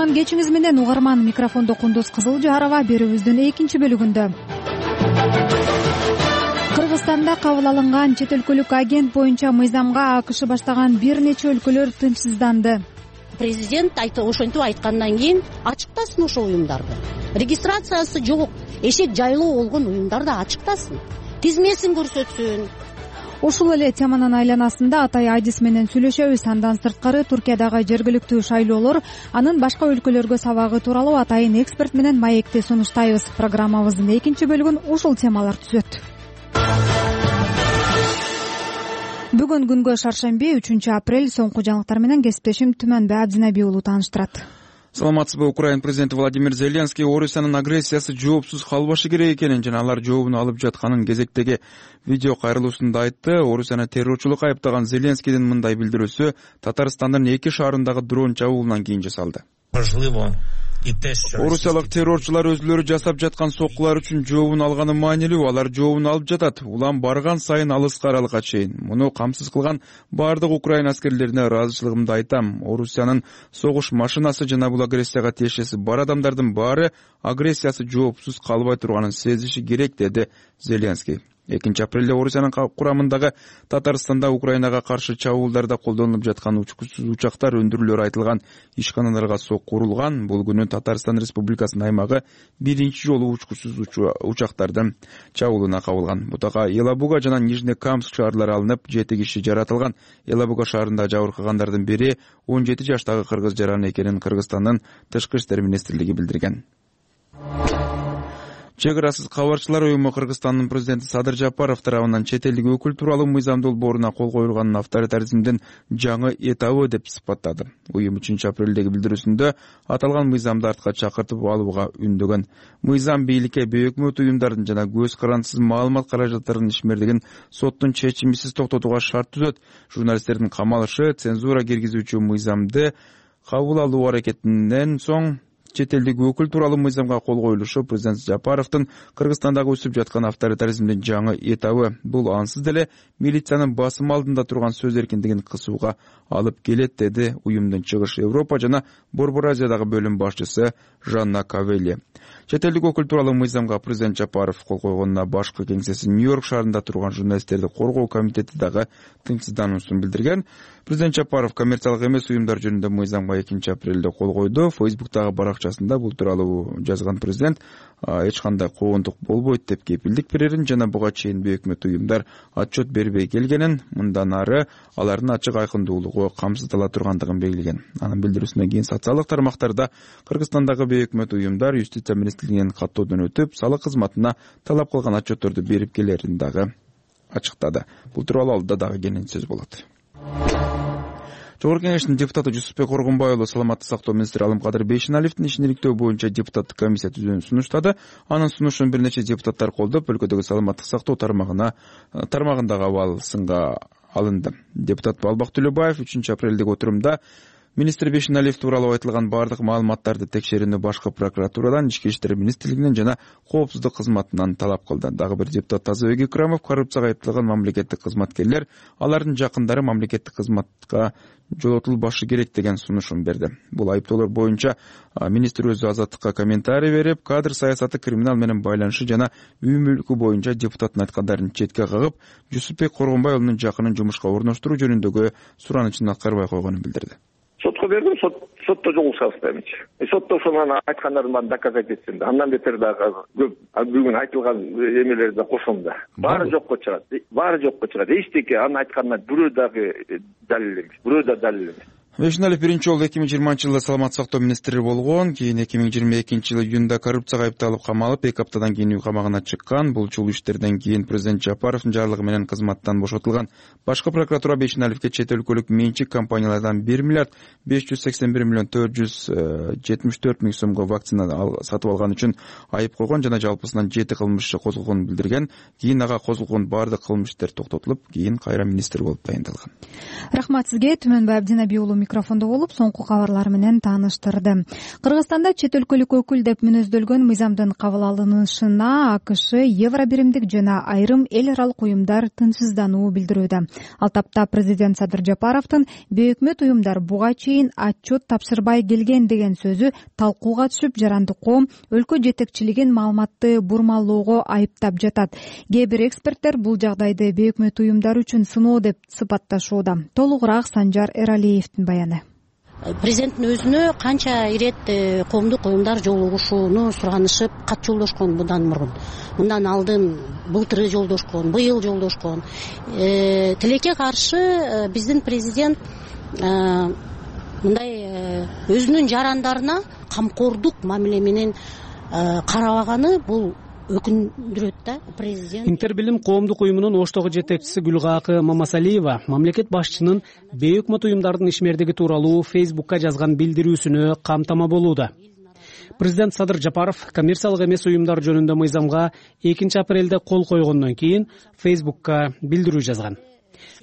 кутман кечиңиз менен угарман. Микрофондо Кундуз Кызылжарова. Берүүбүздүн экинчи бөлүгүндө Кыргызстанда кабыл алынган чет өлкөлүк агент боюнча мыйзамга АКШ баштаган бир нече өлкөлөр тынчсызданды. Президент ошентип айткандан кийин ачыктасын ошол уюмдарды. Регистрациясы жок, эшек жайлоо болгон уюмдарды ачыктасын, тизмесин көрсөтсүн. Ушул эле теманын айланасында Атай Адис менен сүйлөшөбүз. Андан сырткары Туркиядагы жергиликтүү шайлоолор, анын башка өлкөлөргө сабагы тууралуу атайын эксперт менен маекти сунуштайбыз. Программабыздын экинчи бөлүгүн ушул темалар түзөт. Бүгүн күнгө шаршемби 3-апрель. Соңку жаңылыктар менен кесиптешим Түмөнбай Абдинаби уулу тааныштырат. Саламатсызбы? Украина президенти Владимир Зеленский Орусиянын агрессиясы жоопсуз калбашы керек экенин жана алар жообун алып жатканын кезектеги видео кайрылуусунда айтты. Орусияны террорчулук айыптаган Зеленскийдин мындай билдирүүсү Татарстандын 2 шаарындагы дрон чабуулунан кийин жасалды. Орусиялык террорчулар өзүлөрү жасап жаткан соккулар үчүн жообун алганы маанилүү. Алар жообун алып жатат. Улам барган сайын алыска аралыкка чейин. Муну камсыз кылган бардык Украина аскерлерине ыраазычылыгымды айтам. Орусиянын согуш машинасы жана бул агрессияга тиешеси бар адамдардын баары агрессиясы жоопсуз калбай турганын сезиши керек, деди Зеленский. 2-апрелде Орусиянын курамындагы Татарстанда Украинага каршы чабуулдарда колдонулуп жаткан учкучсуз учактар өндүрүлөрү айтылган ишканаларга сокку урулган. Бул күнү Татарстан Республикасынын аймагы биринчи жолу учкучсуз учактардын чабуулуна кабылган. Бутага Елабуга жана Нижнекамск шаарлары алынып, 7 киши жаратылган. Елабуга шаарында жабыркагандардын бири 17 жаштагы кыргыз жаран экенин Кыргызстандын Тышкы иштер министрлиги билдирген. Чек арасыз кабарчылар уюму Кыргызстандын президенти Садыр Жапаров тарабынан чет элдик өкүл тууралуу мыйзам долбооруна кол коюлганын авторитаризмдин жаңы этабы деп сыпаттады. Уюм 3-апрелдеги билдирүүсүндө аталган мыйзамды артка чакыртып алууга үндөгөн. Мыйзам бийликке өкмөт уюмдардын жана көз карандысыз маалымат каражаттарынын ишмердигин соттун чечимисиз токтотууга шарт түзөт. Журналисттердин камалышы, цензура киргизүүчү мыйзамды кабыл алуу аракетинен соң чет элдик өкүл тууралуу мыйзамга кол коюлушу президент Жапаровдун Кыргызстандагы өсүп жаткан авторитаризмдин жаңы этабы. Бул ансыз деле милициянын басым алдында турган сөз эркиндигин кысууга алып келет, деди уюмдун Чыгыш Европа жана Борбор Азиядагы бөлүм башчысы Жанна Кавели. Чет элдик өкүл тууралуу мыйзамга президент Жапаров кол койгонуна башкы кеңсеси Нью-Йорк шаарында турган журналисттерди коргоо комитети дагы тынчсыздануусун билдирген. Президент Жапаров коммерциялык эмес уюмдар жөнүндө мыйзамга 2-апрелде кол койду. Фейсбуктагы баракчасында бул тууралуу жазган президент эч кандай коондук болбойт деп кепилдик берерин жана буга чейин өкмөт уюмдар отчет бербей келгенин, мындан ары алардын ачык айкындуулугу камсыздала тургандыгын белгилеген. Анын билдирүүсүнөн кийин социалдык тармактарда Кыргызстандагы өкмөт уюмдар юстиция министрлигинен каттоодон өтүп, салык кызматына талап кылган отчетторду берип келерин дагы ачыктады. Бул тууралуу алдыда дагы кенен сөз болот. Жогорку Кеңештин депутаты Жусупбек Оргунбай уулу саламаттык сактоо министри Алымкадыр Бейшеналиевдин ишин иликтөө боюнча депутаттык комиссия түзүүнү сунуштады. Анын сунушун бир нече депутаттар колдоп, өлкөдөгү саламаттык сактоо тармагындагы абал сынга алынды. Депутат Балбак Төлөбаев 3-апрелдеги отурумда министр Бейшеналиев тууралуу айтылган бардык маалыматтарды текшерүүнү башкы прокуратурадан, Ички иштер министрлигинен жана коопсуздук кызматынан талап кылды. Дагы бир депутат Тазабек Икрамов коррупцияга айыпталган мамлекеттик кызматкерлер, алардын жакындары мамлекеттик кызматка жолотулбашы керек деген сунушун берди. Бул айыптоолор боюнча министр өзү Азаттыкка комментарий берип, кадр саясаты, криминал менен байланышы жана үй мүлкү боюнча депутаттын айткандарын четке кагып, Жусупбек Оргунбай уулунун жакынын жумушка орноштуруу жөнүндөгү суранычын аткарбай койгонун билдирди. Сотко бердим, сотто жолугуша албайм. Сотто ошонун айткандарын баарын доказать этсин да. Андан бетер дагы көп бүгүн айтылган эмелерди кошом да. Баары жокко чыгат. Эчтеке анын айтканына бирөө дагы далил эмес. Бирөө да далил эмес. Бейшеналиев биринчи жолу 2020-жылы саламаттык сактоо министри болгон. Кийин 2022-жылы июнда коррупцияга айыпталып камалып, 2 аптадан кийин үй камагына чыккан. Бул чул иштерден кийин президент Жапаровдун жарлыгы менен кызматтан бошотулган. Башкы прокуратура Бейшеналиевге чет өлкөлүк менчик компаниялардан 1 миллиард 581 миллион 474 миң сомго вакцина сатып алган үчүн айып койгон жана жалпысынан 7 кылмыш козголгонун билдирген. Кийин ага козголгон бардык кылмыш иштер токтотулуп, кийин кайра министр болуп дайындалган. Рахмат сизге, Түмөнбай Абдинаби уулу. микрофондо болуп соңку кабарлар менен тааныштырды. Кыргызстанда чет өлкөлүк өкүл деп мүнөздөлгөн мыйзамдын кабыл алынышына АКШ, Евробиримдик жана айрым эл аралык уюмдар тынчсыздануу билдирүүдө. Ал тапта президент Садыр Жапаровдун бейөкмөт уюмдар буга чейин отчет тапшырбай келген деген сөзү талкууга түшүп, жаранды коом өлкө жетекчилигин маалыматты бурмалоого айыптап жатат. Кээ бир эксперттер бул жагдайды бейөкмөт уюмдар үчүн сыноо деп сыпатташууда. Толугураак Санжар Эралиевдин баяны. Президенттин өзүнө канча ирет коомдук уюмдар жолугушууну суранышып, кат жолдошкон мындан алдын былтыры жолдошкон, быйыл жолдошкон. Тилекке каршы биздин президент мындай өзүнүн жарандарына камкордук мамиле менен карабаганы бул өкүндүрөт да. Президент Интербилим коомдук уюмунун Оштогу жетекчиси Гүлгакы Мамасалиева мамлекет башчынын бейөкмөт уюмдардын ишмердиги тууралуу Фейсбукка жазган билдирүүсүнө камтама болууда. Президент Садыр Жапаров коммерциялык эмес уюмдар жөнүндө мыйзамга 2 апрелде кол койгондон кийин Фейсбукка билдирүү жазган.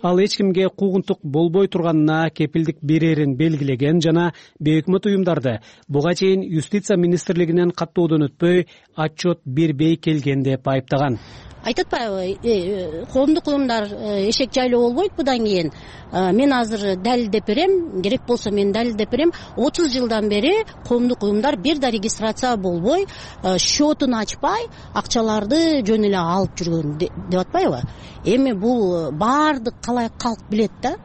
Ал эч кимге куугунтук болбой турганына кепилдик берерин белгилеген жана бейөкмөт уюмдарды буга чейин юстиция министрлигинен каттоодон өтпөй отчет бербей келген деп айыптаган. Айтып атпайбы, коомдук уюмдар эшек жайлоо болбойт будан кийин. Мен азыр далилдеп берем, керек болсо мен далилдеп берем. 30 жылдан бери коомдук уюмдар бир да регистрация болбой, счетун ачпай, акчаларды жөн эле алып жүргөн деп атпайбы? Эми бул баардык калк билет да.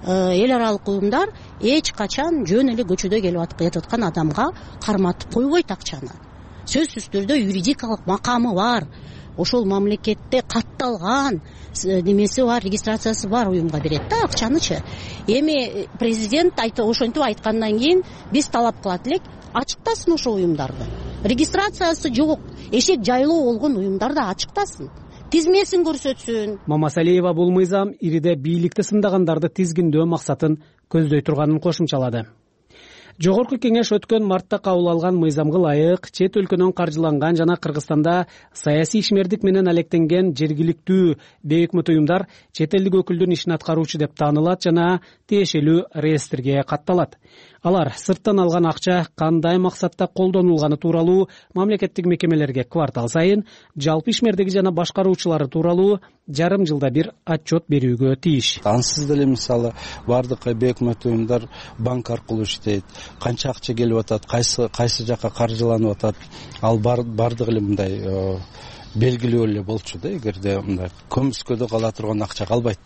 Эл аралык уюмдар эч качан жөн эле көчөдө келип жаткан адамга карматып койбойт акчаны. Сөзсүз түрдө юридикалык макамы бар. Ошол мамлекетте катталган немеси бар, регистрациясы бар уюмга берет да акчанычы. Эми президент ошентип айткандан кийин биз талап кылат элек, ачыктасын ошол уюмдарды. Регистрациясы жок, эшек жайлоо болгон уюмдарды ачыктасын, тизмесин көрсөтсүн. Мамасалиева бул мыйзам ириде бийликти сындагандарды тизгиндөө максатын көздөй турганын кошумчалады. Жогорку кеңеш өткөн мартта кабыл алган мыйзамга ылайык чет өлкөнөн каржыланган жана Кыргызстанда саясий ишмердик менен алектенген жергиликтүү бейөкмөт уюмдар чет элдик өкүлдүн ишин аткаруучу деп таанылат жана тиешелүү реестрге катталат. Алар сырттан алган акча кандай максатта колдонулганы тууралуу мамлекеттик мекемелерге квартал сайын, жалпы ишмердиги жана башкаруучулары тууралуу жарым жылда бир отчет берүүгө тийиш. Ансыз деле мисалы бардык бейөкмөт уюмдар банк аркылуу иштейт. Канча акча келип атат, кайсы жака каржыланып атат, ал бардыгы эле мындай белгилүү эле болчу да. Эгерде мындай көмүскөдө кала турган акча калбайт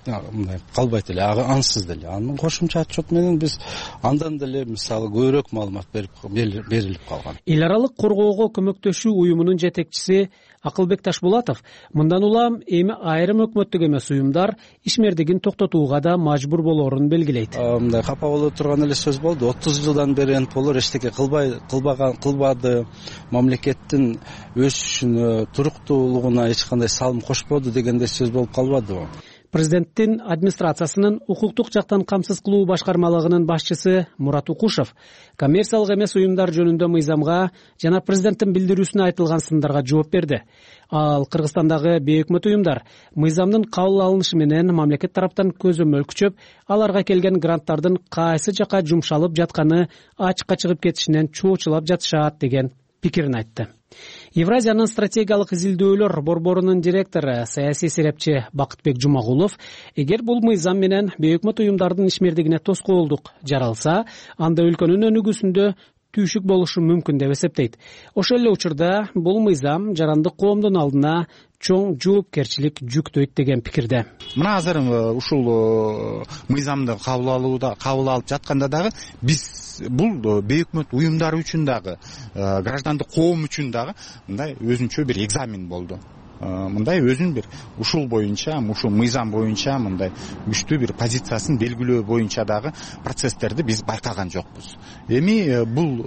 эле, ансыз деле. Анын кошумча отчет менен биз андан деле мисалы көбүрөөк маалымат берилип калган. Эл аралык коргоого көмөктөшүү уюмунун жетекчиси Акылбек Ташбулатов мындан улам эми айрым өкмөттүк эмес уюмдар ишмердигин токтотууга да мажбур болоорун белгилейт. Мындай капа боло турган эле сөз болду. 30 жылдан бери НПОлор эчтеке кылбады, мамлекеттин өсүшүнө, туруктуулугуна эч кандай салым кошподу дегендей сөз болуп калбадыбы? Президенттин администрациясынын укуктук жактан камсыз кылуу башкармалыгынын башчысы Мурат Укушев коммерциялык эмес уюмдар жөнүндө мыйзамга жана президенттин билдирүүсүнө айтылган сындарга жооп берди. Ал Кыргызстандагы бейөкмөт уюмдар мыйзамдын кабыл алынышы менен мамлекет тараптан көзөмөл күчөп, аларга келген гранттардын кайсы жака жумшалып жатканы ачыкка чыгып кетишинен чоочулап жатышат деген пикирин айтты. Евразиянын стратегиялык изилдөөлөр борборунун директору саясий серепчи Бакытбек Жумагулов, эгер бул мыйзам менен бейөкмөт уюмдардын ишмердигине тоскоолдук жаралса, анда өлкөнүн өнүгүүсүндө түйшүк болушу мүмкүн деп эсептейт. Ошол эле учурда бул мыйзам жарандык коомдун алдына чоң жоопкерчилик жүктөйт деген пикирде. Мына азыр ушул мыйзамды кабыл алып жатканда дагы биз бул бейөкмөт уюмдар үчүн дагы, граждандык коом үчүн дагы мындай өзүнчө бир экзамен болду. Мындай өзүн бир ушул боюнча, ушул мыйзам боюнча мындай күчтүү бир позициясын белгилөө боюнча дагы процесстерди биз байкаган жокпуз. Эми бул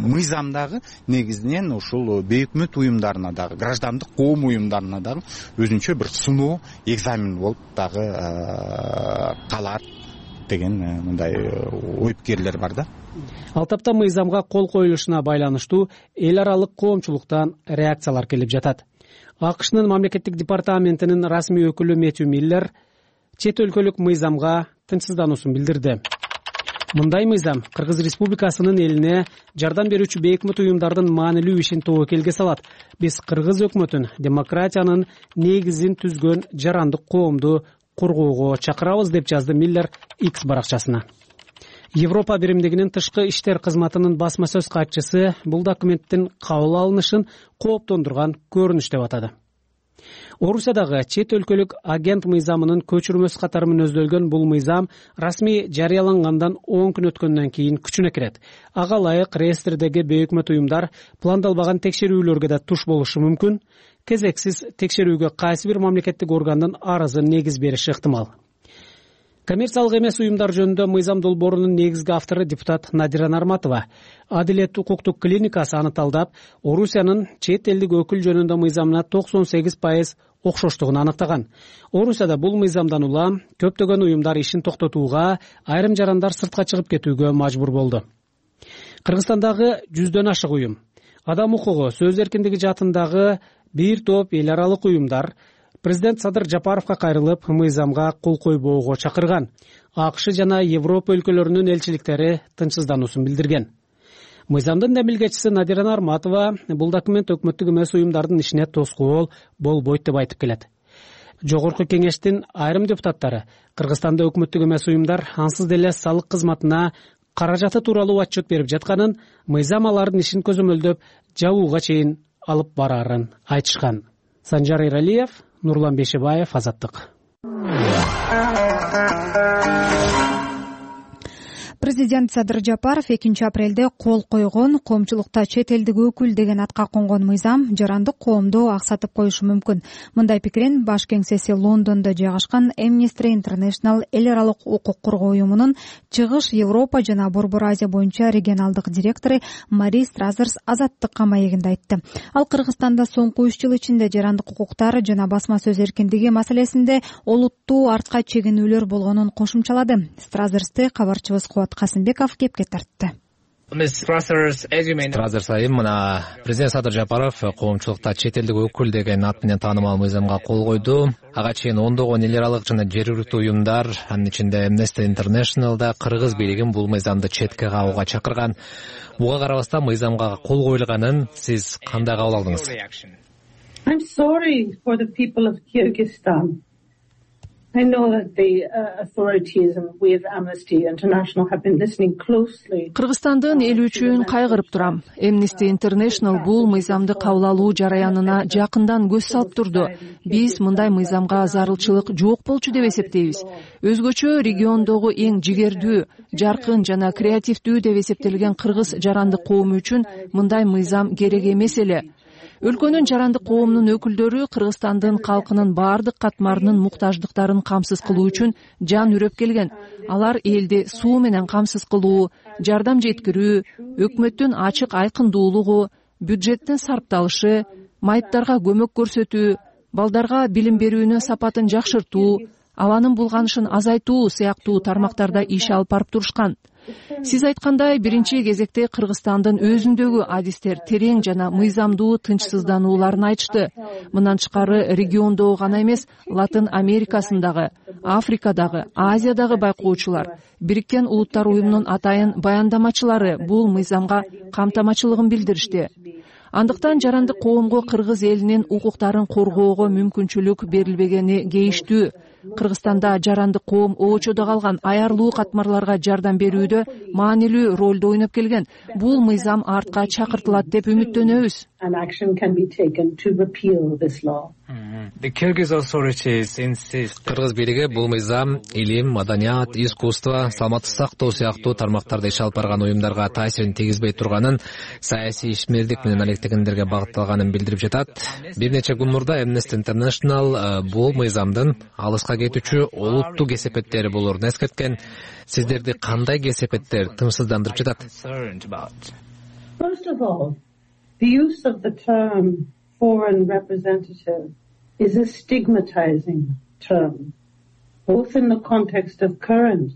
мыйзам дагы негизинен ушул бейөкмөт уюмдарына дагы, граждандык коом уюмдарына дагы өзүнчө бир сыноо, экзамен болуп дагы калат деген мындай ой пикирлер бар да. Ал тапта мыйзамга кол коюлушуна байланыштуу эл аралык коомчулуктан реакциялар келип жатат. АКШнын мамлекеттик департаментинин расмий өкүлү Мэтью Миллер чет өлкөлүк мыйзамга тынчсыздануусун билдирди. Мындай мыйзам Кыргыз Республикасынын элине жардам берүүчү бейөкмөт уюмдардын маанилүү ишин тобокелге салат. Биз Кыргыз өкмөтүн демократиянын негизин түзгөн жарандык коомду коргоого чакырабыз, деп жазды Миллер X баракчасына. Европа биримдигинин тышкы иштер кызматынын басма сөз катчысы бул документтин кабыл алынышын кооптондурган көрүнүш деп атады. Орусиядагы чет өлкөлүк агент мыйзамынын көчүрмөсү катары мүнөздөлгөн бул мыйзам расмий жарыялангандан 10 күн өткөндөн кийин күчүнө кирет. Ага ылайык реестрдеги бейөкмөт уюмдар пландалбаган текшерүүлөргө да туш болушу мүмкүн. Кезексиз текшерүүгө кайсы бир мамлекеттик органдын арызын негиз бериши ыктымал. Коммерциялык эмес уюмдар жөнүндө мыйзам долбоорунун негизги автору депутат Надира Нарматова. Адилет укуктук клиникасы аны талдап, Орусиянын чет элдик өкүл жөнүндө мыйзамына 98% окшоштугун аныктаган. Орусияда бул мыйзамдан улам көптөгөн уюмдар ишин токтотууга, айрым жарандар сыртка чыгып кетүүгө мажбур болду. Кыргызстандагы 100дөн ашык уюм, адам укугу, сөз эркиндиги жаатындагы бир топ эл аралык уюмдар президент Садыр Жапаровго кайрылып, мыйзамга кол койбоого чакырган. АКШ жана Европа өлкөлөрүнүн элчиликтери тынчсыздануусун билдирген. Мыйзамдын демилгечиси Надира Нарматова бул документ өкмөттүк эмес уюмдардын ишине тоскоол болбойт деп айтып келет. Жогорку кеңештин айрым депутаттары Кыргызстанда өкмөттүк эмес уюмдар ансыз деле салык кызматына каражаты тууралуу отчет берип жатканын, мыйзам алардын ишин көзөмөлдөп жабууга чейин алып барарын айтышкан. Санжар Эралиев, Нурлан Бешебаев, Азаттык. Президент Садыр Жапаров 2 апрелде кол койгон коомчулукта чет элдик өкүл деген атка конгон мыйзам жарандык коомду аксатып коюшу мүмкүн. Мындай пикирин баш кеңсеси Лондондо жайгашкан Amnesty International эл аралык укук коргоо уюмунун Чыгыш Европа жана Борбор Азия боюнча регионалдык директору Мари Стразерс Азаттыкка маегинде айтты. Ал Кыргызстанда соңку 3 жыл ичинде жарандык укуктар жана басма сөз эркиндиги маселесинде олуттуу артка чегинүүлөр болгонун кошумчалады. Стразерсти кабарчыбыз Кубат Касымбеков кепке тартты. Стразерс айым, мына президент Садыр Жапаров коомчулукта чет элдик өкүл деген ат менен таанымал мыйзамга кол койду. Ага чейин ондогон эл аралык жана жергиликтүү уюмдар, анын ичинде Amnesty International да Кыргыз бийлигин бул мыйзамды четке кагууга чакырган. Буга карабастан мыйзамга кол коюлганын сиз кандай кабыл алдыңыз? I'm sorry for the people of Kyrgyzstan. I know that the authorities and we of Amnesty International have been listening closely. Кыргызстандын эли үчүн кайгырып турам. Amnesty International бул мыйзамды кабыл алуу жараянына жакындан көз салып турду. Биз мындай мыйзамга зарылчылык жок болчу деп эсептейбиз. Өзгөчө региондогу эң жигердүү, жаркын жана креативдүү деп эсептелген кыргыз жарандык коому үчүн мындай мыйзам керек эмес эле. Өлкөнүн жарандык коомунун өкүлдөрү Кыргызстандын калкынын бардык катмарынын муктаждыктарын камсыз кылуу үчүн жан үрөп келген. Алар элди суу менен камсыз кылуу, жардам жеткирүү, өкмөттүн ачык айкындуулугу, бюджеттин сарпталышы, майыптарга көмөк көрсөтүү, балдарга билим берүүнүн сапатын жакшыртуу, абанын булганышын азайтуу сыяктуу тармактарда иш алып барып турушкан. Сиз айткандай, биринчи кезекте Кыргызстандын өзүндөгү адистер терең жана мыйзамдуу тынчсызданууларын айтышты. Мындан тышкары региондогу гана эмес, Латын Америкасындагы, Африкадагы, Азиядагы байкоочулар, Бириккен Улуттар уюмунун атайын баяндамачылары бул мыйзамга камтамачылыгын билдиришти. Андыктан жарандык коомго кыргыз элинин укуктарын коргоого мүмкүнчүлүк берилбегени кейиштүү. Кыргызстанда жарандык коом оочодо калган аярлуу катмарларга жардам берүүдө маанилүү ролду ойноп келген. Бул мыйзам артка чакыртылат деп үмүттөнөбүз. Кыргыз бийлиги бул мыйзам илим, маданият, искусство, саламаттык сактоо сыяктуу тармактарда иш алып барган уюмдарга таасирин тийгизбей турганын, саясий ишмердик менен алектегендерге багытталганын билдирип жатат. Бир нече күн мурда Amnesty International бул мыйзамдын алыска кетүүчү олуттуу кесепеттери болорун эскерткен. Сиздерди кандай кесепеттер тынчсыздандырып жатат? First of all, the use of the term foreign representative is a stigmatizing term, both in the context of current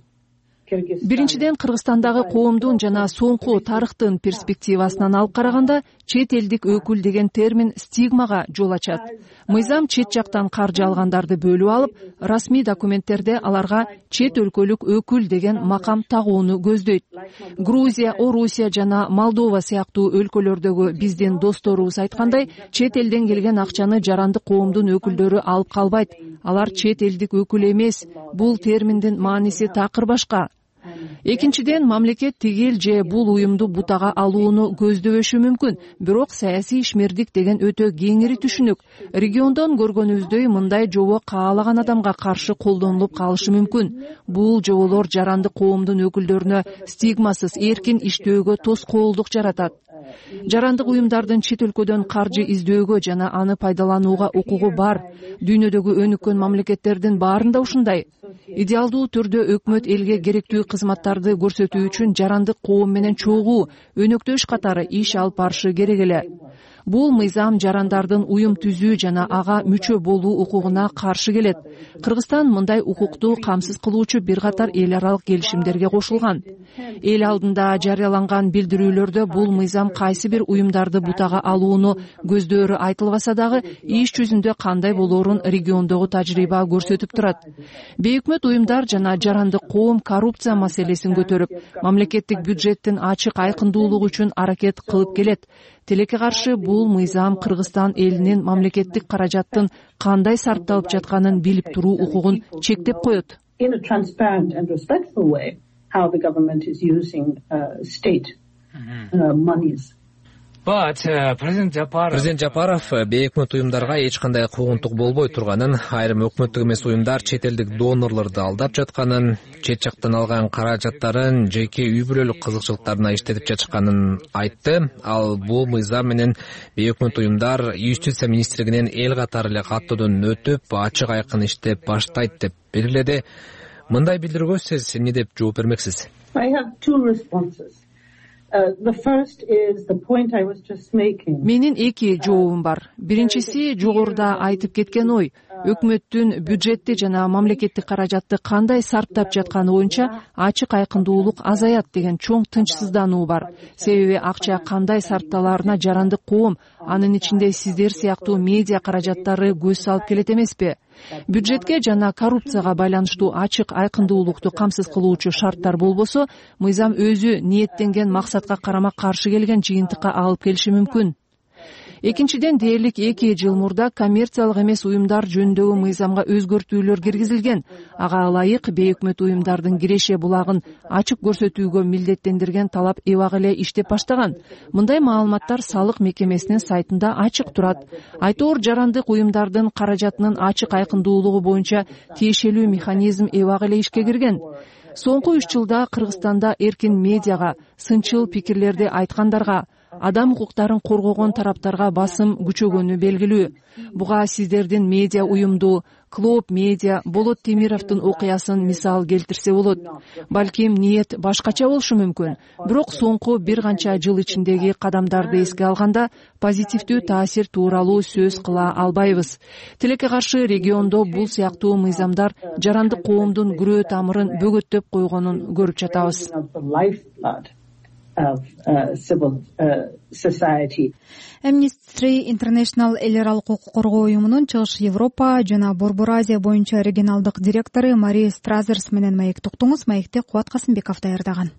Биринчиден, Кыргызстандагы коомдун жана соңку тарыхтын перспективасынан алып караганда, чет элдик өкүл деген термин стигмага жол ачат. Мыйзам чет жактан каржы алгандарды бөлүп алып, расмий документтерде аларга чет өлкөлүк өкүл деген макам тагууну көздөйт. Грузия, Орусия жана Молдова сыяктуу өлкөлөрдөгү биздин досторубуз айткандай, чет элден келген акчаны жарандык коомдун өкүлдөрү алып калбайт. Алар чет элдик өкүл эмес. Бул терминдин мааниси такыр башка. Экинчиден, мамлекет тигил же бул уюмду бутага алууну көздөбөшү мүмкүн. Бирок саясий ишмердик деген өтө кеңири түшүнүк. Региондон көргөнүбүздөй мындай жобо каалаган адамга каршы колдонулуп калышы мүмкүн. Бул жоболор жарандык коомдун өкүлдөрүнө стигмасыз эркин иштөөгө тоскоолдук жаратат. Жарандык уюмдардын чет өлкөдөн каржы издөөгө жана аны пайдаланууга укугу бар. Дүйнөдөгү өнүккөн мамлекеттердин баарында ушундай. Идеалдуу түрдө өкмөт элге керектүү кызматтарды көрсөтүү үчүн жарандык коом менен чогуу, өнөктөш катары иш алып барышы керек эле. Бул мыйзам жарандардын уюм түзүү жана ага мүчө болуу укугуна каршы келет. Кыргызстан мындай укукту камсыз кылуучу бир катар эл аралык келишимдерге кошулган. Эл алдында жарыяланган билдирүүлөрдө бул мыйзам кайсы бир уюмдарды бутага алууну көздөөрү айтылбаса дагы, иш жүзүндө кандай болоорун региондогу тажрыйба көрсөтүп турат. Бейөкмөт уюмдар жана жарандык коом коррупция маселесин көтөрүп, мамлекеттик бюджеттин ачык айкындуулугу үчүн аракет кылып келет. Тилекке каршы бул мыйзам Кыргызстан элинин мамлекеттик каражаттын кандай сарпталып жатканын билип туруу укугун чектеп коет. Президент Жапаров бейөкмөт уюмдарга эч кандай куугунтук болбой турганын, айрым өкмөттүк эмес уюмдар чет элдик донорлорду алдап жатканын, чет жактан алган каражаттарын жеке үй бүлөлүк кызыкчылыктарына иштетип жатышканын айтты. Ал бул мыйзам менен бейөкмөт уюмдар Юстиция министрлигинен эл катары эле каттоодон өтүп, ачык айкын иштеп баштайт деп белгиледи. Мындай билдирүүгө сиз эмне деп жооп бермексиз? Менин эки жообум бар. Биринчиси жогоруда айтып кеткен ой. Өкмөттүн бюджетти жана мамлекеттик каражатты кандай сарптап жатканы боюнча ачык айкындуулук азаят деген чоң тынчсыздануу бар. Себеби акча кандай сарпталаарына жарандык коом, анын ичинде сиздер сыяктуу медиа каражаттары көз салып келет эмеспи? Бюджетке жана коррупцияга байланыштуу ачык айкындуулукту камсыз кылуучу шарттар болбосо, мыйзам өзү ниеттенген максатка карама-каршы келген жыйынтыкка алып келиши мүмкүн. Экинчиден, дээрлик 2 жыл мурда коммерциялык эмес уюмдар жөнүндөгү мыйзамга өзгөртүүлөр киргизилген. Ага ылайык бейөкмөт уюмдардын киреше булагын ачык көрсөтүүгө милдеттендирген талап эбак эле иштеп баштаган. Мындай маалыматтар салык мекемесинин сайтында ачык турат. Айтоор жарандык уюмдардын каражатынын ачык айкындуулугу боюнча тиешелүү механизм эбак эле ишке кирген. Соңку 3 жылда Кыргызстанда эркин медиага, сынчыл пикирлерди айткандарга, адам укуктарын коргогон тараптарга басым күчөгөнү белгилүү. Буга сиздердин медиа уюмду, Клоп медиа, Болот Темировдун окуясын мисал келтирсе болот. Балким ниет башкача болушу мүмкүн. Бирок соңку бир канча жыл ичиндеги кадамдарды эске алганда позитивдүү таасир тууралуу сөз кыла албайбыз. Тилекке каршы региондо бул сыяктуу мыйзамдар жарандык коомдун күрөө тамырын бөгөттөп койгонун көрүп жатабыз. Amnesty International эл аралык укук коргоо уюмунун Чыгыш Европа жана Борбор Азия боюнча регионалдык директору Мари Стразерс менен маекти уктуңуз. Маекти Кубат Касымбеков даярдаган.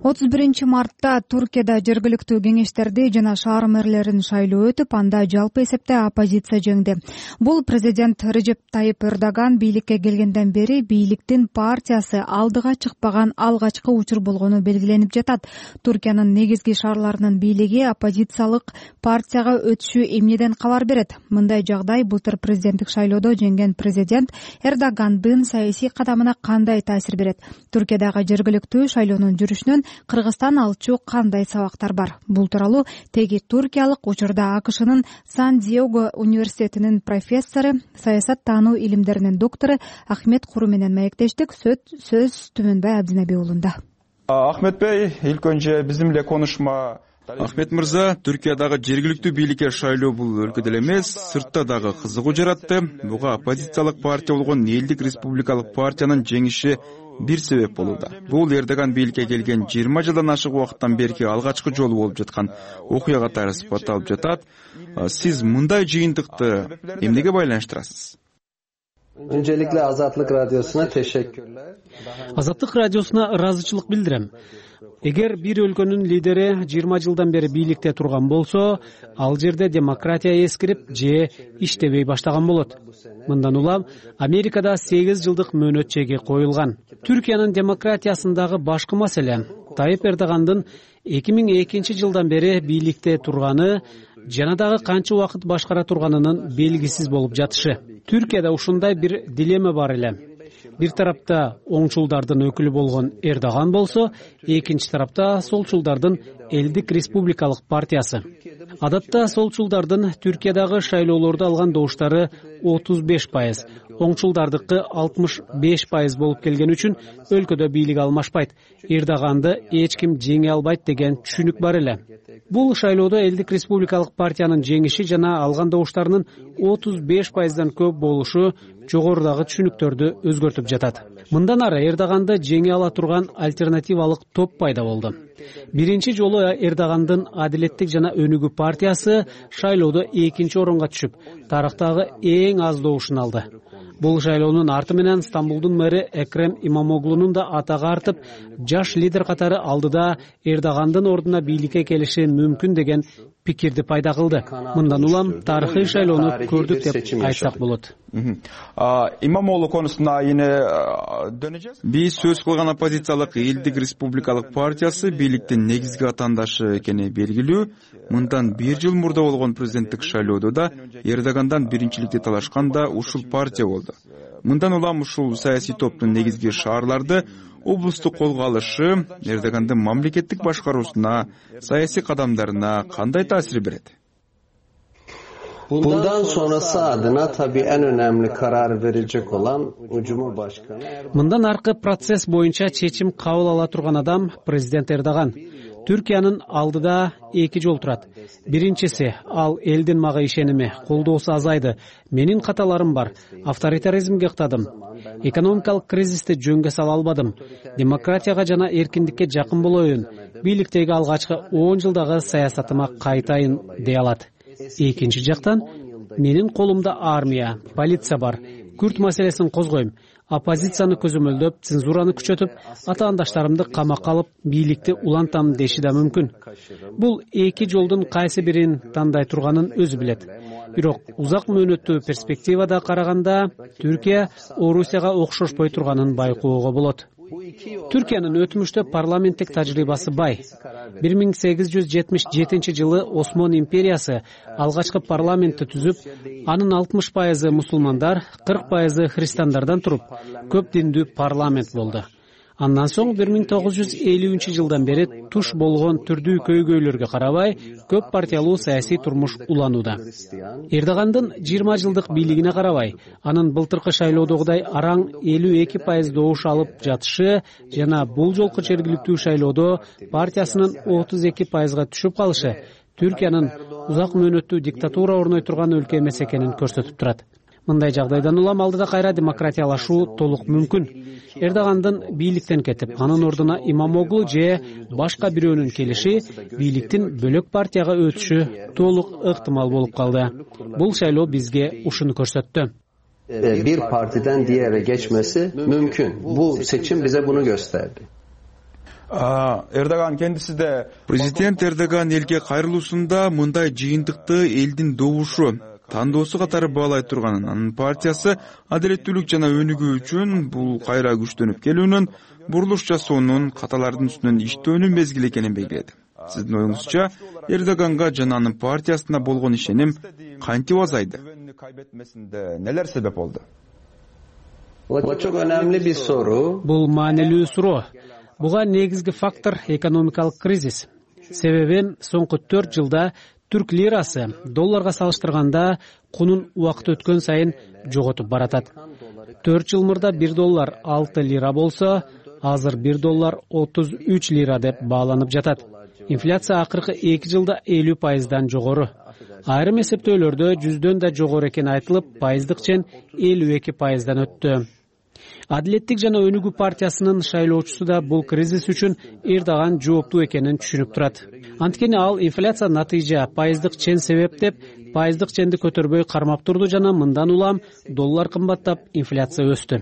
31 мартта Туркияда жергиликтүү кеңештерди жана шаар мэрлерин шайлоо өтүп, анда жалпы эсепте оппозиция жеңди. Бул президент Режеп Тайип Эрдоган бийликке келгенден бери бийликтин партиясы алдыга чыкпаган алгачкы учур болгону белгиленип жатат. Туркиянын негизги шаарларынын бийлиги оппозициялык партияга өтүшү эмнеден кабар берет? Мындай жагдай былтыр президенттик шайлоодо жеңген президент Эрдогандын саясий кадамына кандай таасир берет? Туркиядагы жергиликтүү шайлоонун жүрүшүнөн Кыргызстан алчу кандай сабактар бар? Бул тууралуу теги туркиялык учурда АКШнын Сан-Диего университетинин профессору, саясат таануу илимдеринин доктору Ахмет Куру менен маектештик. Сөз Түмөнбай Абдинаби уулунда. Ахмет Бey, ilk önce bizimle konuşma. Ахмет мырза, Түркиядагы жергиликтүү бийликке шайлоо бул өлкөдө эле эмес, сыртта дагы кызыгуу жаратты. Буга оппозициялык партия болгон Элдик республикалык партиянын жеңиши бир себеп болууда. Бул Эрдоган бийликке келген 20 жылдан ашык убакыттан берки алгачкы жолу болуп жаткан окуя катары сыпатталып жатат. Сиз мындай жыйынтыкты эмнеге байланыштырасыз? Öncelikle Azatlık Radyosu'na teşekkürler. Азаттык радиосуна ыраазычылык билдирем. Эгер бир өлкөнүн лидери 20 жылдан бери бийликте турган болсо, ал жерде демократия эскирип же иштебей баштаган болот. Мындан улам Америкада 8 жылдык мөөнөт чеги коюлган. Түркиянын демократиясындагы башкы маселе Тайып Эрдогандын 2002 жылдан бери бийликте турганы жана дагы канча убакыт башкара турганынын белгисиз болуп жатышы. Түркияда ушундай бир дилемма бар эле. Бир тарапта оңчулдардын өкүлү болгон Эрдоган болсо, экинчи тарапта солчулдардын Элдик Республикалык партиясы. Адатта солчулдардын Түркиядагы шайлоолордо алган добуштары 35%, оңчулдардыкы 65% болуп келген үчүн өлкөдө бийлик алмашпайт. Эрдоганды эч ким жеңе албайт деген түшүнүк бар эле. Бул шайлоодо Элдик Республикалык партиянын жеңиши жана алган добуштарынын 35%дан көп болушу жогорудагы түшүнүктөрдү өзгөртүп жатат. Мындан ары Эрдоганды жеңе ала турган альтернативалык топ пайда болду. Биринчи жолу Эрдогандын Адилеттик жана Өнүгүү партиясы шайлоодо экинчи орунга түшүп, тарыхтагы эң аз добушун алды. Бул шайлоонун арты менен Стамбулдун мэри Экрем Имамоглунун да атагы артып, жаш лидер катары алдыда Эрдогандын ордуна бийликке келиши мүмкүн деген пикирди пайда кылды. Мындан улам тарыхый шайлоону көрдүк деп айтсак болот. Имамоглу конусуна yine döneceğiz. Биз сөз кылган оппозициялык Элдик Республикалык партиясы бийликтин негизги атаандашы экени белгилүү. Мындан 1 жыл мурда болгон президенттик шайлоодо да Эрдогандан биринчиликти талашкан да ушул партия болду. Мындан улам ушул саясий топтун негизги шаарларды облустук колго алышы Эрдогандын мамлекеттик башкаруусуна, саясий кадамдарына кандай таасир берет? Bundan sonrası adına tabii en önemli karar verecek olan Cumhurbaşkanı. Мындан аркы процесс боюнча чечим кабыл ала турган адам президент Эрдоган. Түркиянын алдыда эки жол турат. Биринчиси, ал элдин мага ишеними, колдоосу азайды. Менин каталарым бар. Авторитаризмге ыктадым. Экономикалык кризисти жөнгө сала албадым. Демократияга жана эркиндикке жакын болоюн. Бийликтеги алгачкы 10 жылдагы саясатыма кайтайын дей алат. Экинчи жактан, менин колумда армия, полиция бар. Күрт маселесин козгойм. Оппозицияны көзөмөлдөп, цензураны күчөтүп, атаандаштарымды камакка алып, бийликти улантам деши да мүмкүн. Бул эки жолдун кайсы бирин тандай турганын өзү билет. Бирок узак мөөнөттүү перспективада караганда, Түркия Орусияга окшошпой турганын байкоого болот. Түркиянын өтмүштө парламенттик тажрыйбасы бай. 1877 жылы Осман империясы алгачкы парламентти түзүп, анын 60% мусулмандар, 40% христиандардан туруп, көп диндүү парламент болду. Андан соң 1950 жылдан бери туш болгон түрдүү көйгөйлөргө карабай, көп партиялуу саясий турмуш уланууда. Эрдогандын 20 жылдык бийлигине карабай, анын былтыркы шайлоодогудай араң 52% добуш алып жатышы жана бул жолку жергиликтүү шайлоодо партиясынын 32%га түшүп калышы Түркиянын узак мөөнөттүү диктатура орной турган өлкө эмес экенин көрсөтүп турат. Мындай жагдайдан улам алдыда кайра демократиялашуу толук мүмкүн. Эрдогандын бийликтен кетип, анын ордуна Имамоглу же башка бирөөнүн келиши бийликтин бөлөк партияга өтүшү толук ыктымал болуп калды. Бул шайлоо бизге ушуну көрсөттү. Bir partiden diğere geçmesi mümkün. Bu seçim bize bunu gösterdi. Эрдоган kendisi de Президент Эрдоган элге кайрылуусунда мындай жыйынтыкты элдин добушу тандоосу катары баалай турганын, анын партиясы адилеттүүлүк жана өнүгүү үчүн бул кайра күчтөнүп келүүнүн, бурулуш жасоонун, каталардын үстүнөн иштөөнүн мезгили экенин белгиледи. Сиздин оюңузча, Эрдоганга жана анын партиясына болгон ишеним кантип азайды? Neler sebep oldu? Bu çok önemli bir soru. Бул маанилүү суроо. Буга негизги фактор экономикалык кризис. Себеби соңку 4 жылда түрк лирасы долларга салыштырганда кунун убакыт өткөн сайын жоготуп баратат. 4 жыл мурда 1 доллар 6 лира болсо, азыр 1 доллар 33 лира деп бааланып жатат. Инфляция акыркы 2 жылда 50%дан жогору. Айрым эсептөөлөрдө 100дөн да жогору экени айтылып, пайыздык чен 52%дан өттү. Адилеттик жана Өнүгүү партиясынын шайлоочусу да бул кризис үчүн Эрдоган жооптуу экенин түшүнүп турат. Анткени ал инфляция натыйжа, пайыздык чен себеп деп пайыздык ченди көтөрбөй кармап турду жана мындан улам доллар кымбаттап, инфляция өстү.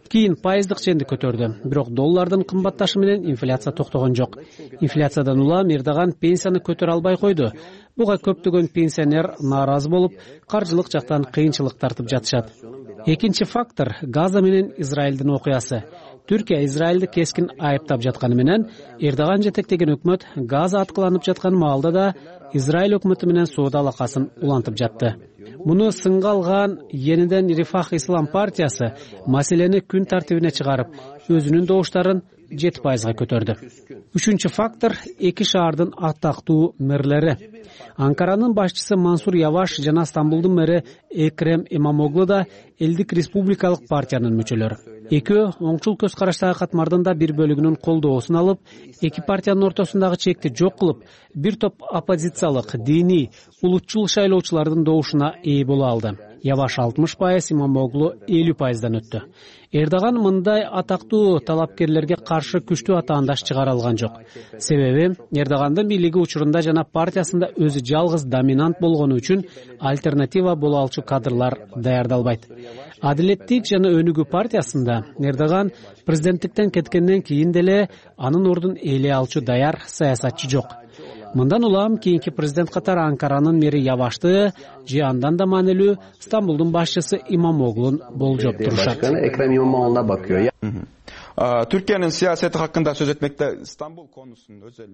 Кийин пайыздык ченди көтөрдү, бирок доллардын кымбатташы менен инфляция токтогон жок. Инфляциядан улам Эрдоган пенсияны көтөрө албай койду. Буга көптөгөн пенсионер нааразы болуп, каржылык жактан кыйынчылык тартып жатышат. Экинчи фактор — Газа менен Израилдин окуясы. Түркия Израилди кескин айыптап жатканы менен Эрдоган жетектеген өкмөт Газа аткыланып жаткан маалда да Израиль өкмөтү менен соода алакасын улантып жатты. Муну сынга алган Yeniden Refah Ислам партиясы маселени күн тартибине чыгарып, өзүнүн добуштарын 7%га көтөрдү. Үчүнчү фактор — эки шаардын атактуу мэрлери. Анкаранын башчысы Мансур Яваш жана Стамбулдун мэри Экрем Имамоглу да Элдик республикалык партиянын мүчөлөрү. Экөө оңчул көз караштагы катмардын да бир бөлүгүнүн колдоосун алып, эки партиянын ортосундагы чекти жок кылып, бир топ оппозициялык, диний, улутчул шайлоочулардын добушуна ээ боло алды. Яваш 60%, Имамоглу 50%дан өттү. Эрдоган мындай атактуу талапкерлерге каршы күчтүү атаандаш чыгара алган жок. Себеби Эрдогандын бийлиги учурунда жана партиясында өзү жалгыз доминант болгону үчүн альтернатива боло алчу кадрлар даярдалбайт. Адилеттик жана Өнүгүү партиясында Эрдоган президенттиктен кеткенден кийин деле анын ордун ээлей алчу даяр саясатчы жок. Мындан улам кийинки президент катары Анкаранын мэри Явашты же андан да маанилүү Стамбулдун башчысы Имамоглун болжоп турушат. Ekrem İmamoğlu'na bakıyor. Türkiye'nin siyaseti hakkında söz etmekte İstanbul konusunun özel.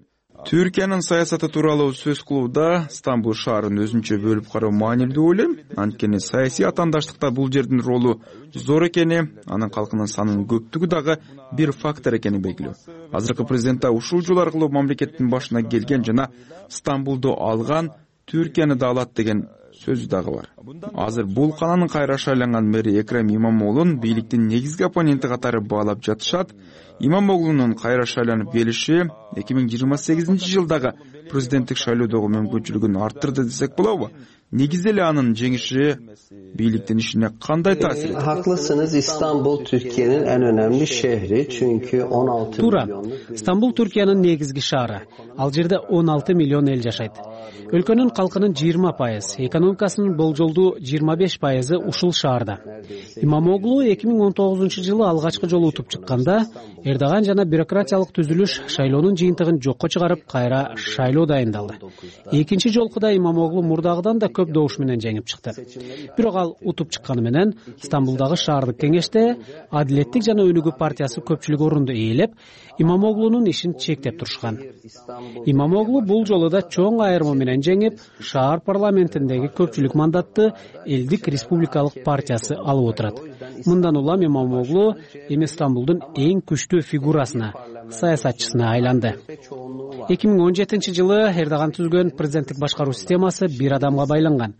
Түркиянын саясаты тууралуу сөз кылууда Стамбул шаарын өзүнчө бөлүп кароо маанилүү деп ойлойм. Анткени саясий атаандаштыкта бул жердин ролу зор экени, анын калкынын санынын көптүгү дагы бир фактор экени белгилүү. Азыркы президент ушул жол аркылуу мамлекеттин башына келген жана Стамбулду алган, Түркияны да алат деген сөзү дагы бар. Азыр бул каланын кайра шайланган мэри Экрем Имамоглун бийликтин негизги оппоненти катары баалап жатышат. Имамоглунун кайра шайланып келиши 2028-жылдагы президенттик шайлоодогу мүмкүнчүлүгүн арттырды десек болобу? Негизи эле анын жеңиши бийликтин ишине кандай таасир этти? Haklısınız. İstanbul Türkiye'nin en önemli şehri. Çünkü 16 milyon. Стамбул Түркиянын негизги шаары. Ал жерде 16 миллион эл жашайт. Өлкөнүн калкынын 20%, экономикасынын болжолдуу 25%ы ушул шаарда. Имамоглу 2019-жылы алгачкы жолу утуп чыкканда, Эрдоган жана бюрократиялык түзүлүш шайлоонун жыйынтыгын жокко чыгарып, кайра шайлоо дайындалды. Экинчи жолкуда Имамоглу мурдагыдан да көп добуш менен жеңип чыкты. Бирок ал утуп чыкканы менен Стамбулдагы шаардык кеңеште Адилеттик жана Өнүгүү партиясы көпчүлүк орунду ээлеп, Имамоглунун ишин чектеп турушкан. Имамоглу бул жолу да чоң айырма менен жеңип, шаар парламентиндеги көпчүлүк мандатты Элдик республикалык партиясы алып отурат. Мындан улам Имамоглу эми Стамбулдун эң күчтүү фигурасына, саясатчысына айланды. 2017-жылы Эрдоган түзгөн президенттик башкаруу системасы бир адамга байланган.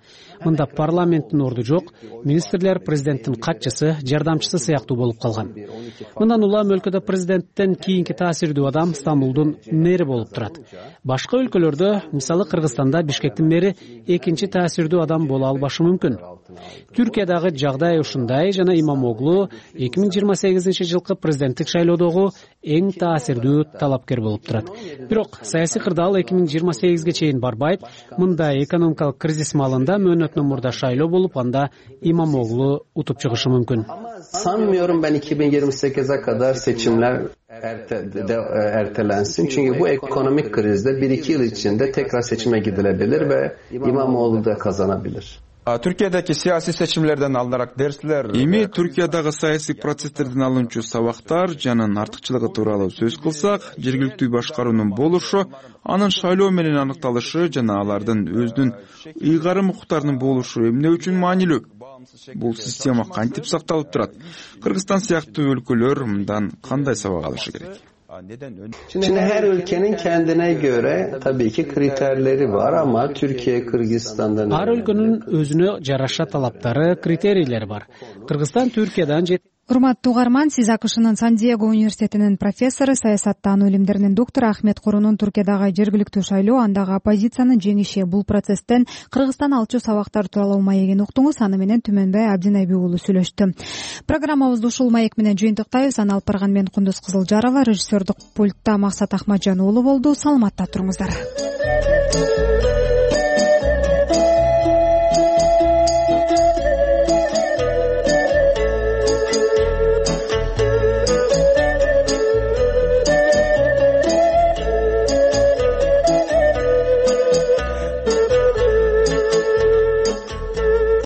Мында парламенттин орду жок, министрлер президенттин катчысы, жардамчысы сыяктуу болуп калган. Мындан улам өлкөдө президенттен кийинки таасирдүү адам Стамбулдун мэри болуп турат. Башка өлкөлөрдө, мисалы Кыргызстанда Бишкектин мэри экинчи таасирдүү адам боло албашы мүмкүн. Түркиядагы жагдай ушундай жана Имамоглу 2028-жылкы президенттик шайлоодогу эң таасирдүү талапкер болуп турат. Бирок саясий кырдаал 2028-ге чейин барбайт. Мында экономикалык кризис маалында мөөнөтүнөн мурда шайлоо болуп, анда Имамоглу утуп чыгышы мүмкүн. Sanmıyorum ben 2028'e kadar seçimler ertelensin. Çünkü bu ekonomik krizde 1-2 yıl içinde tekrar seçime gidilebilir ve İmamoğlu da kazanabilir. Türkiye'deki siyasi seçimlerden alınarak dersler... Эми Түркиядагы саясий процесстерден алынчу сабактар жана артыкчылыгы тууралуу сөз кылсак, жергиликтүү башкаруунун болушу, анын шайлоо менен аныкталышы жана алардын өзүнүн ыйгарым укуктарынын болушу эмне үчүн маанилүү? Бул система кантип сакталып турат? Кыргызстан сыяктуу өлкөлөр мындан кандай сабак алышы керек? Şimdi her ülkenin kendine göre tabii ki kriterleri var ama Türkiye, Kırgızistan'dan... Ар өлкөнүн өзүнө жараша талаптары, критерийлери бар. Кыргызстан Түркиядан Урматтуу угарман, сиз АКШнын Сан-Диего университетинин профессору, саясаттануу илимдеринин доктору Ахмет Курунун Туркиядагы жергиликтүү шайлоо, андагы оппозициянын жеңиши, бул процесстен Кыргызстан алчу сабактар тууралуу маегин уктуңуз. Аны менен Түмөнбай Абдинайби уулу сүйлөштү. Программабызды ушул маек менен жыйынтыктайбыз. Аны алып барган мен Кундуз Кызылжарова, режиссердук пультта Максат Ахмаджан уулу болду. Саламатта туруңуздар.